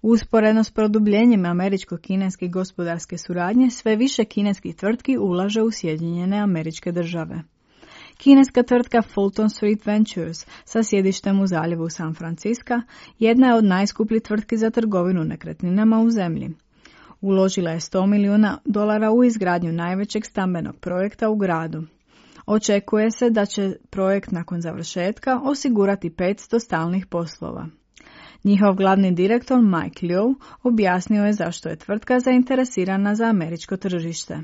Usporedno s produbljenjem američko-kineske gospodarske suradnje, sve više kineskih tvrtki ulaže u Sjedinjene Američke Države. Kineska tvrtka Fulton Street Ventures sa sjedištem u zaljevu San Francisca jedna je od najskupljih tvrtki za trgovinu nekretninama u zemlji. Uložila je $100 milijuna u izgradnju najvećeg stambenog projekta u gradu. Očekuje se da će projekt nakon završetka osigurati 500 stalnih poslova. Njihov glavni direktor Mike Liu objasnio je zašto je tvrtka zainteresirana za američko tržište.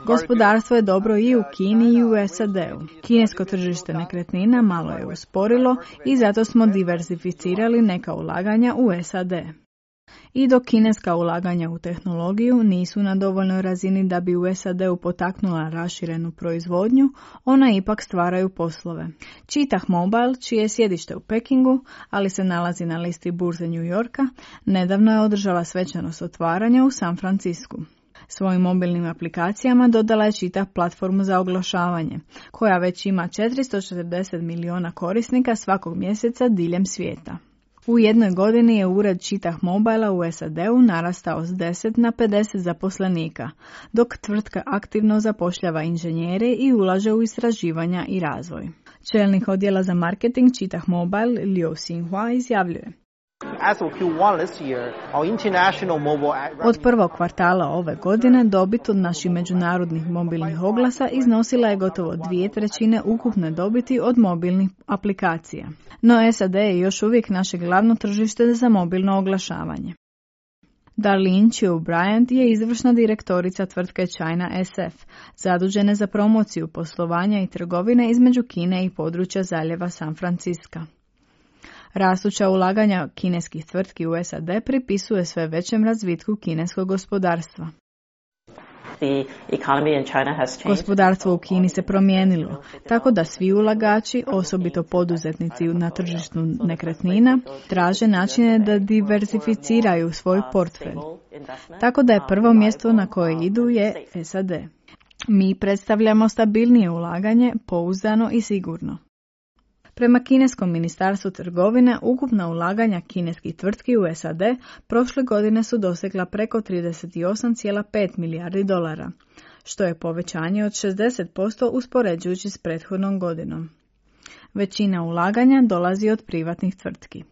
Gospodarstvo je dobro i u Kini i u SAD-u. Kinesko tržište nekretnina malo je usporilo i zato smo diversificirali neka ulaganja u SAD. I dok kineska ulaganja u tehnologiju nisu na dovoljnoj razini da bi u SAD-u potaknula raširenu proizvodnju, ona ipak stvaraju poslove. Čitah Mobile, čije je sjedište u Pekingu, ali se nalazi na listi burze New Yorka, nedavno je održala svečanost otvaranja u San Francisku. Svojim mobilnim aplikacijama dodala je Čitah platformu za oglašavanje, koja već ima 440 milijuna korisnika svakog mjeseca diljem svijeta. U jednoj godini je ured Čitah Mobila u SAD-u narastao s 10 na 50 zaposlenika, dok tvrtka aktivno zapošljava inženjere i ulaže u istraživanja i razvoj. Čelnik odjela za marketing Čitah Mobile Liu Xinhua izjavljuje: Od prvog kvartala ove godine dobit od naših međunarodnih mobilnih oglasa iznosila je gotovo 2/3 ukupne dobiti od mobilnih aplikacija. No SAD je još uvijek naše glavno tržište za mobilno oglašavanje. Darlene Chiu Bryant je izvršna direktorica tvrtke China SF, zadužene za promociju poslovanja i trgovine između Kine i područja zaljeva San Francisca. Rastuća ulaganja kineskih tvrtki u SAD pripisuje sve većem razvitku kineskog gospodarstva. Gospodarstvo u Kini se promijenilo, tako da svi ulagači, osobito poduzetnici na tržištu nekretnina, traže načine da diversificiraju svoj portfelj. Tako da je prvo mjesto na koje idu je SAD. Mi predstavljamo stabilnije ulaganje, pouzdano i sigurno. Prema kineskom ministarstvu trgovine, ukupna ulaganja kineskih tvrtki u SAD prošle godine su dosegla preko 38,5 milijardi dolara, što je povećanje od 60% uspoređujući s prethodnom godinom. Većina ulaganja dolazi od privatnih tvrtki.